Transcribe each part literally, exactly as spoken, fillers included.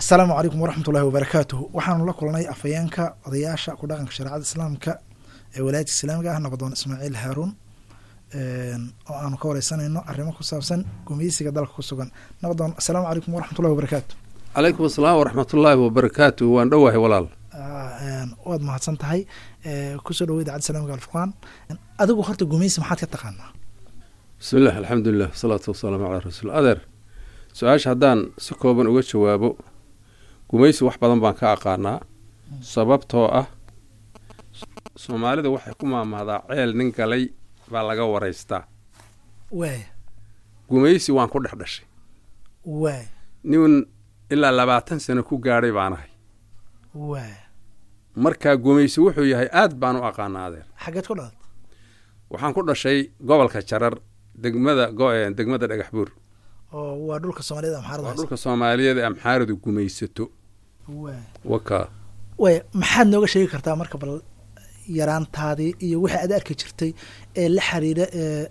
Asalaamu calaykum waraxmatullahi wabarakaatuhu. Waxaanu la kulanay afhayeenka odayaasha ku dhaqanka shareecada islaamka ee walaayadka islaamiga ah, Nabadoon Ismaaciil Haaruun, oo aanu ka wareysanayno arrimo ku saabsan gumeysiga dalka ku sugan. Nabadoon, asalaamu calaykum waraxmatullahi wabarakaatu. Calaykum asalaam waraxmatullaahi wabarakaatu. Waan dhowahay, walaal. Waad mahadsan tahay. Kusoo dhawo Idaacadda Islaamiga Alfurqaan. Adigu horta gumeysi maxaad ka taqaanaa? Bismillaah, alxamdulilah, wasalaatu wasalaamu calaa rasuul. Adeer, su-aasha haddaan si kooban uga jawaabo, gumaysi wax badan baan ka aqaanaa, sababtoo ah Soomaalida waxay ku maahmaahdaa "Ceel nin galay baa laga waraystaa." Waaya. Gumaysi waan ku dhex dhashay. Waaya. Nin ilaa labaatan sano ku gaadhay baan ahay. Waaya. Marka gumaysi wuxuu yahay aad baan u aqaanaa, adeer. Xaggeed ku dhalat? Waxaan ku dhashay gobolka Jarar, degmada go- degmada Dhagax Buur. Oo waa dhulka Soomaaliyada Amxaarada Waa hayso. Dhulka Soomaaliyeed ee Amxaaradu gumaysato. Waaya. Waka. Waaya, maxaad nooga sheegi kartaa marka bal yaraantaadii iyo wixii aad arki jirtay ee la xiriira ee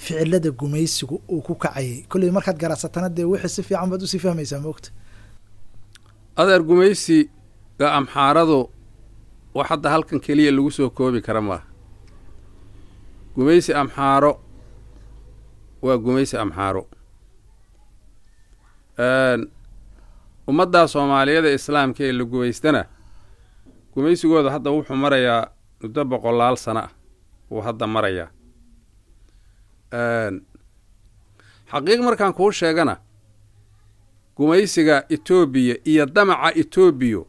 ficilada gumaysigu uu ku kacayay? Kolley markaad garacsatana dee wixii si fiican baad usii fahmaysaa, maogta? Adeer, gumaysiga Amxaaradu wax hadda halkan keliya lagu soo koobi kara maaha. Gumaysi Amxaaro waa gumaysi Amxaaro. Ummaddaa Soomaaliyeed ee islaamka ee la gumaystana, gumaysigooda hadda wuxuu marayaa muddo boqolaal sano ah wuu hadda marayaa. Xaqiiq markaan kuu sheegana, gumaysiga Etoobiya iyo damaca Etoobiya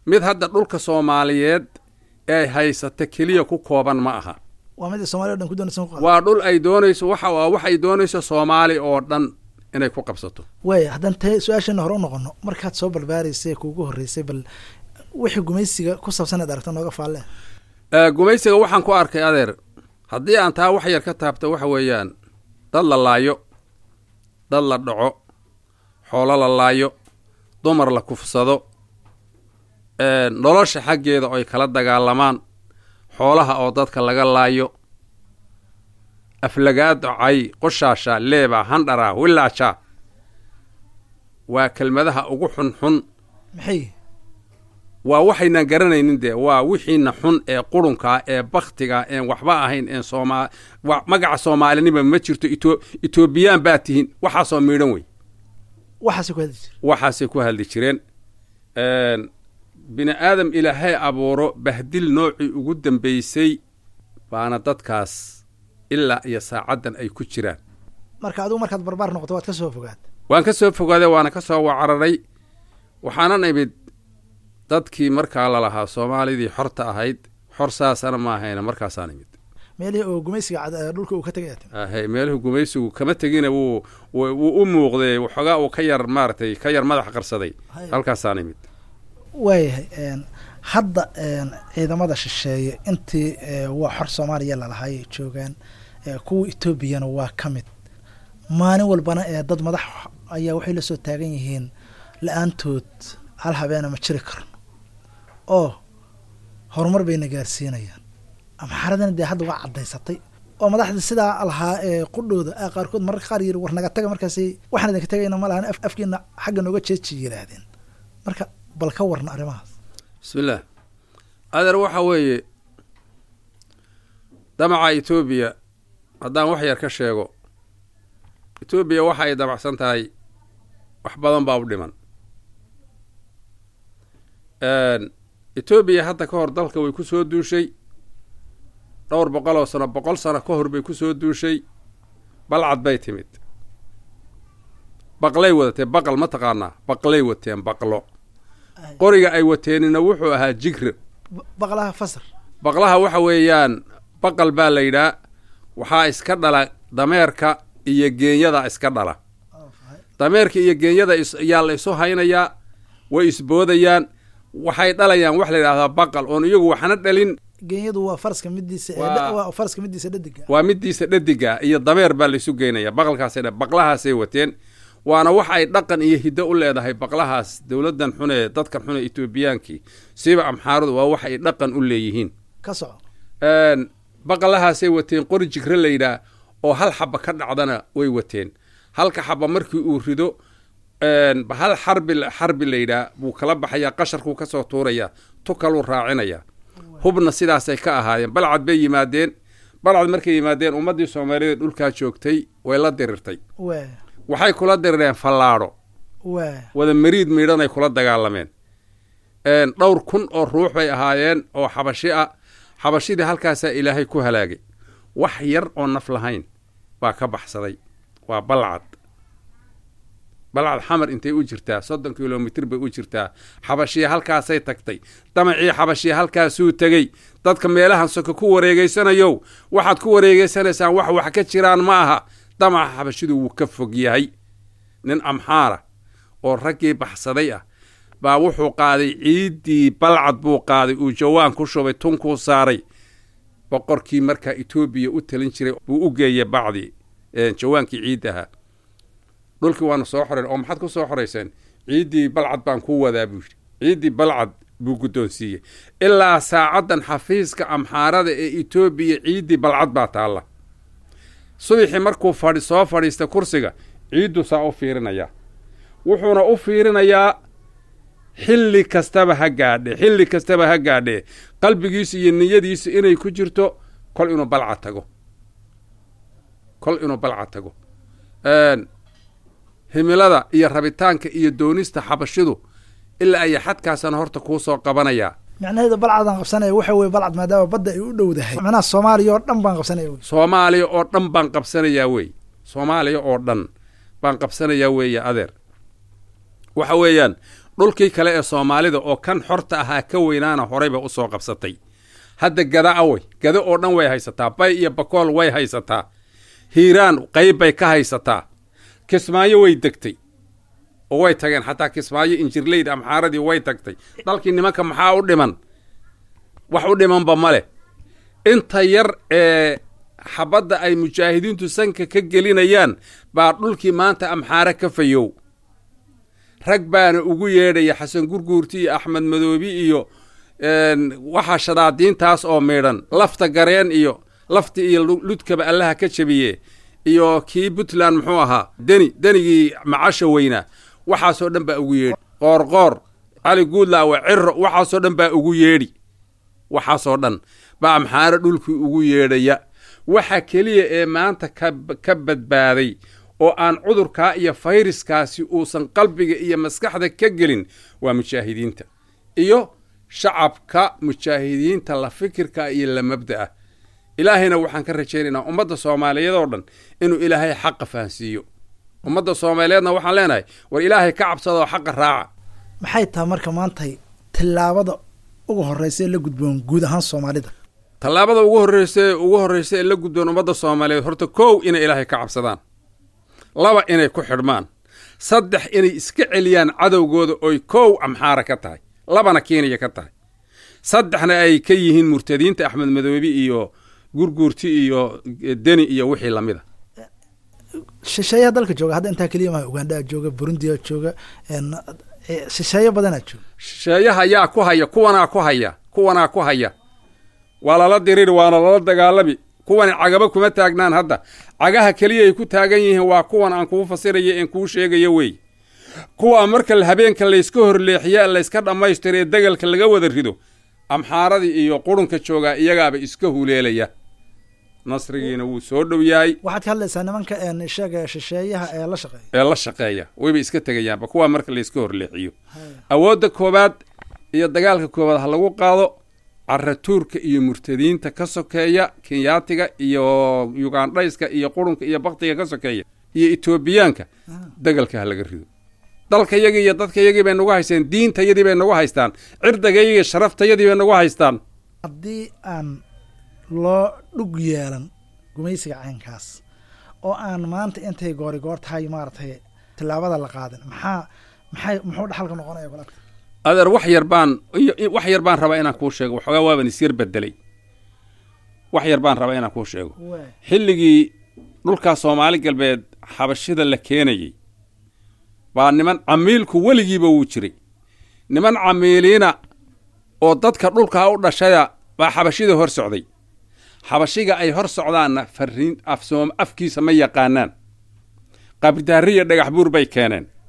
mid hadda dhulka Soomaaliyeed ee haysata keliya ku kooban ma aha. Waa mid Somalia o dhan ku doonaysa ku qaado. Waa dhul ay doonayso, waxa waa waxay doonayso Soomaali oo dhan inay ku qabsato. Waaya, haddaan te su-aasheena hore u noqono, markaad soo barbaaraysay kuugu horreysay, bal wixii gumaysiga ku saabsan aad aragto nooga faalle. Ee, gumaysiga waxaan ku arkay, adeer, haddii aan taa wax yar ka taabto, waxa weeyaan dad la laayo, dad la dhaco, xoolo la laayo, dumar la kufsado, ee, nolosha xaggeeda oy kala dagaalamaan, xoolaha oo dadka laga laayo, aflagaado, cay, qoshaasha, leeba, handhara, wilaasha, waa kelmadaha ugu xunxun. Maxay? Waa waxaynaan garanaynin dee, waa wixiina xun ee qurunkaa ee baktiga een waxba ahayn een sooma wa magaca Soomaalinima ma jirto, Ito Etoobiyaan baa tihiin, waxaasoo miidhan wey. Waxaasay ku hadli jire? Waxaasay ku hadli jireen. Bini aadam Ilaahay abuuro bahdil noocii ugu dambeysay baana dadkaas ilaa iyo saacaddan ay ku jiraan. Marka adigu markaad barbaar noqoto waad ka soo fogaad? Waan ka soo fogaaday, waana ka soo wacararay. Waxaanan imid dadkii markaa lalahaa Soomaalidii xorta ahayd, xor saasana ma ahayna, markaasaan imid. Meelihii oo gumaysiga cad ee dhulka uu ka tegay aad timid? Ahay, meeluhu gumaysigu kama tegina, wuu wuu wuu u muuqday, waxoogaa uu ka yar maaragtay ka yar madax qarsaday. Haya. Halkaasaan imid. Waayahay. een, hadda een, ciidamada shisheeye intii ee, waa xor Soomaaliya lalahay ay joogaan, ee, kuwa Etoobiyana waa ka mid. Maalin walbana ee dad madax ayaa waxay la soo taagan yihiin la-aantood hal habeena ma jiri karno oo horumar bayna gaarsiinayaan. Amxaaradana dee hadda waa caddaysatay oo madaxda sidaa lahaa ee qudhooda ah qaarkood mararka qaar yiri "War, naga taga." Markaasi "Waxaan idinka tagayna ma lahan, af- afkiina xagga nooga jeeji" yidhaahdeen. Marka bal ka warna arrimahaas. Bismillaah, adeer, waxa weeye damaca Etoobiya haddaan wax yar ka sheego, Etoobiya waxa ay damacsan tahay wax badan baa u dhiman. Etoobiya hadda ka hor dalka way ku soo duushay dhowr boqol oo sano, boqol sano ka hor bay ku soo duushay. Balcad bay timid, baqlay wadatee. Baqal ma taqaanaa? Baqlay wateen, baqlo. Qoriga ay wateenina wuxuu ahaa jigre. Ba- baqlaha fasar. Baqlaha waxa weeyaan baqal baa la yidhaa, waxaa iska dhala dameerka iyo geenyada iska dhala. Dameerka iyo geenyada is- yaa la isu haynayaa, way isboodayaan, waxay dhalayaan wax la yidhahdaa baqal oon iyagu waxna dhalin. Geenyadu waa faraska midiisa ee Waa- dha- waa faraska midiisa dhadiga. Waa midiisa dhadiga iyo dameer baa laisu geynaya, baqalkaasay dha- baqlahaasay wateen. Waana wax ay dhaqan iyo hiddo u leedahay baqlahaas dowladdan xun ee dadkan xun ee Etoobiyaankii, siiba Amxaaradu, waa wax ay dhaqan u leeyihiin. Ka soco. Een, baqalahaasay wateen, qori jigre la yidhaah oo hal xaba ka dhacdana way wateen. Halka xaba markii uu rido Bahal xarbi xarbi la yidhaah buu kala baxayaa, qasharkuu ka soo tuurayaa, tukaluu raacinayaa. Hubna sidaasay ka ahaayeen. Balcad bay yimaadeen. Balcad markay yimaadeen, ummaddii Soomaaliyeed dhulkaa joogtay way la dirirtay. Waxay kula dirireen fallaadho, wada mariid miidhanay kula dagaalameen. Dhowr kun oo ruux bay ahaayeen oo xabashi ah. Xabashidii halkaasaa Ilaahay ku halaagay. Wax yar oo naf lahayn baa ka baxsaday. Waa Balcad. Balcad Xamar intay u jirtaa? Soddon kilomitir bay u jirtaa. Xabashiya halkaasay tagtay, damacii xabashiya halkaasuu tegey. Dadka meelahan soka ku wareegeysanayow, waxaad ku wareegeysanaysaan wax wax ka jiraan ma aha. Damaca xabashidu wuu ka fog yahay. Nin Amxaara oo raggii baxsaday ah baa wuxuu qaaday ciiddii Balcad buu qaaday, uu jawaan ku shubay, tunkuu saaray. Boqorkii markaa Etoobiya u talin jiray buu u geeyey bacdii jawaankii ciiddaha. Dhulkii waanu soo xoreyn. Oo maxaad ku soo xorayseen? Ciiddii Balcad baan kuu wadaa, buu yidhi. Ciiddii Balcad buu guddoonsiiyey. Ilaa saacaddan xafiiska Amxaarada ee Etoobiya ciiddii Balcad baa taalla. Subaxii markuu fadhi soo fadhiista kursiga, ciiddu saa u fiirinayaa, wuxuuna u fiirinayaa xilli kastaba ha gaadhe, xilli kastaba ha gaadhe, qalbigiisu iyo niyadiisu inay ku jirto kol inuu Balcad tago, kol inuu Balcad tago. Himilada iyo rabitaanka iyo doonista xabashidu ilaa ay xadkaasana horta kuu soo qabanayaa. Macnaheedu Balcadaan qabsanaya waxa weye, Balcad maadaama badda ay u dhowdahay, macnaha Soomaaliya oo dhan baan qabsanaya wey. Soomaaliya oo dhan baan qabsanayaa wey, Soomaaliya oo dhan baan qabsanayaa weeye, adeer. Waxa weeyaan dhulkii kale ee Soomaalida oo kan xorta ahaa ka weynaana horeyba usoo qabsatay. Hadda Gada awey, Gada oo dhan way haysataa, Bay iyo Bakool way haysataa, Hiiraan qayb bay ka haysataa, Kismaayo way degtay oo way tageen xataa Kismaayo, Injirleyda Amxaaradii way tagtay. Dalkii nimanka maxaa u dhiman? Wax u dhimanba ma leh. Inta yar ee xabadda ay mujaahidiintu sanka ka gelinayaan baa dhulkii maanta Amxaare ka fayow. Rag baana ugu yeedhaya, Xasan Gurguurti iyo Axmed Madoobi iyo waxaa shadaadiintaas oo miidhan, Lafta Gareen iyo Lafti iyo Ludkaba Allaha ka jabiye, iyo kii Puntland muxuu ahaa, Deni, Denigii macasha weynaa, waxaasoo dhan baa ugu yeedhi. Qoorqoor, Cali Guudlaawe, Ciro, waxaasoo dhan baa ugu yeedhi. Waxaasoo dhan baa Amxaare dhulkii ugu yeedhaya. Waxa keliya ee maanta ka ka badbaaday oo aan cudurkaa iyo fayraskaasi uusan qalbiga iyo maskaxda ka gelin waa mujaahidiinta iyo shacabka mujaahidiinta la fikirka iyo la mabda'a. Ilaahayna waxaan ka rajaynaynaa ummadda Soomaaliyeed oo dhan inuu Ilaahay xaqa fahansiiyo. Ummadda Soomaaliyeedna waxaan leenahay, war Ilaahay ka cabsada oo xaqa raaca. Maxay tahay marka maantay tillaabada ugu horreysa ee la gudboon guud ahaan Soomaalida? Tallaabada ugu horreysa ugu horreysa ee la gudboon ummadda Soomaaliyeed, horta kow inay Ilaahay ka cabsadaan, laba inay ku xidhmaan, saddex inay iska celiyaan cadowgooda, oy kow Amxaara ka tahay, labana Kenya ka tahay, saddexna ay ka yihiin murtadiinta Axmed Madoobi iyo Gurguurti iyo Deni iyo wixii lamida. Shisheeyaha dalka jooga hadda intaa keliya maha. Ugandaa jooga, Burundiyaa jooga, shisheeyo badanaa jooga. Shisheeyaha yaa ku haya? Kuwanaa ku haya, kuwanaa ku haya. Waa lala diriri, waana lala dagaalami. Kuwani cagaba kuma taagnaan hadda. Cagaha keliya ay ku taagan yihiin waa kuwan aan kuu fasiraya een kuu sheegayo wey. Kuwaa marka habeenka layska horleexiya, layska dhammaystira ee degalka laga wada rido, Amxaaradii iyo qurunka joogaa iyagaaba iska huleelaya. Nasrigiina wuu soo dhow yahay. Waxaad ka hadlaysaa nimanka sheega shisheeyaha ee la shaqeeya. Ee la shaqeeya wayba iska tegayaanba kuwaa marka layska horleexiyo. Awoodda koowaad iyo dagaalka koowaad ha lagu qaado caratuurka iyo murtadiinta ka sokeeya, Kenyaatiga iyo Yugandhayska iyo qurunka iyo baktiga ka sokeeya iyo Etoobiyaanka. Degalka ha laga rido. Dalkayagii iyo dadkayagii bay nagu haysteen, diintayadii bay nagu haystaan, cirdigayagii sharaftayadii bay nagu haystaan. Haddii aan loo dhug yeelan gumaysiga caynkaas oo aan maanta intay goori goor tahay maaragtay tillaabada la qaadin, maxaa maxay muxuu dhaxalka noqonaya kula? Adeer, wax yar baan wax yar baan rabaa inaan kuu sheego. Waxoogaa waaban isyar bedelay. Wax yar baan rabaa inaan kuu sheego. Xilligii dhulkaa Soomaali Galbeed xabashida la keenayey baa niman camiilku weligiiba wuu jiray, niman camiiliina oo dadka dhulkaa u dhashaya baa xabashida hor socday. Xabashiga ay hor socdaanna fariin afsoom afkiisa ma yaqaanaan. Qabridaariya Dhagax Buur bay keeneen.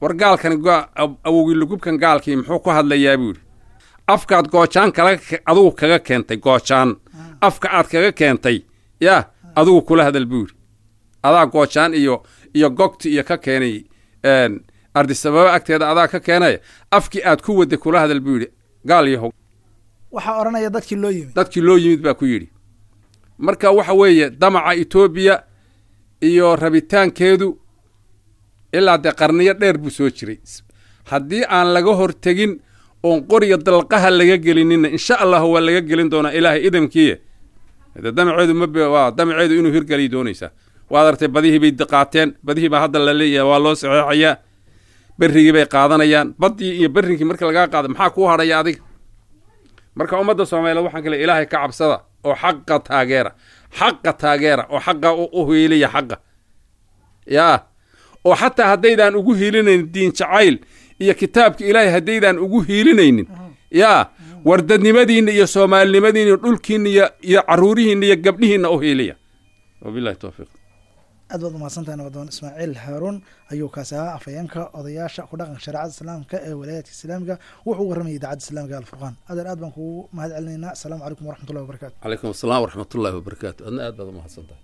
War gaalkan awowgii lugubkan gaalkii muxuu ku hadlayaa buu yidhi. Afkaad goojaan kala adugu kaga keentay, goojaan afka aad kaga keentay yaa adugu kula hadal buu yidhi. Adaa goojaan iyo iyo gogti iyo ka keenay Ardisababa agteeda, adaa ka keenaya, afkii aad ku waday kula hadal buu yidhi gaal yahow. Waxaa odhanaya dadkii loo yimid, dadkii loo yimid baa ku yidhi. Marka waxa weeye damaca Etoobiya iyo rabitaankeedu ilaa dee qarniyo dheer buu soo jiray. Haddii aan laga hortegin oon qoriga dalqaha laga gelinina, insha allahu waa laga gelin doonaa Ilaahay idamkiiye. De damaceedu ma waa damaceedu inuu hirgeliy doonaysaa. Waad artay, badihii bay qaateen, badihii baa hadda la leeyahay waa loo saxeexayaa, berrigii bay qaadanayaan. Baddii iyo berrinkii marka lagaa qaado maxaa kuu hadhaya adiga? Marka ummadda Soomaaliyeed waxaan kale, Ilaahay ka cabsada oo xaqa taageera, xaqa taageera oo xaqa u hiiliya xaqa yaa, oo xataa haddaydaan ugu hiilinaynin diin jacayl iyo kitaabka Ilaahay, haddaydaan ugu hiilinaynin yaa, wardadnimadiinna iyo soomaalinimadiinna iyo dhulkiinna iyo iyo carruurihiinna iyo gabdhihiinna u hiiliya. Wabillahi towfiiq. Aad baad umahadsantahay nabadoon Ismaaciil Haaruun ayuu kaasi ahaa, afhayeenka odayaasha ku dhaqanka shareecada islaamka ee walaayaadka islaamiga. Wuxuu u warramayay idaacadda islaamiga Alfurqaan. Adeer, aad baan kugu mahad celinaynaa. Asalaamu calaykum waraxmatullahi wabarakatu. Calaykum asalaam waraxmatullahi wabarakaatu. Adna aad baad umahadsan tahay.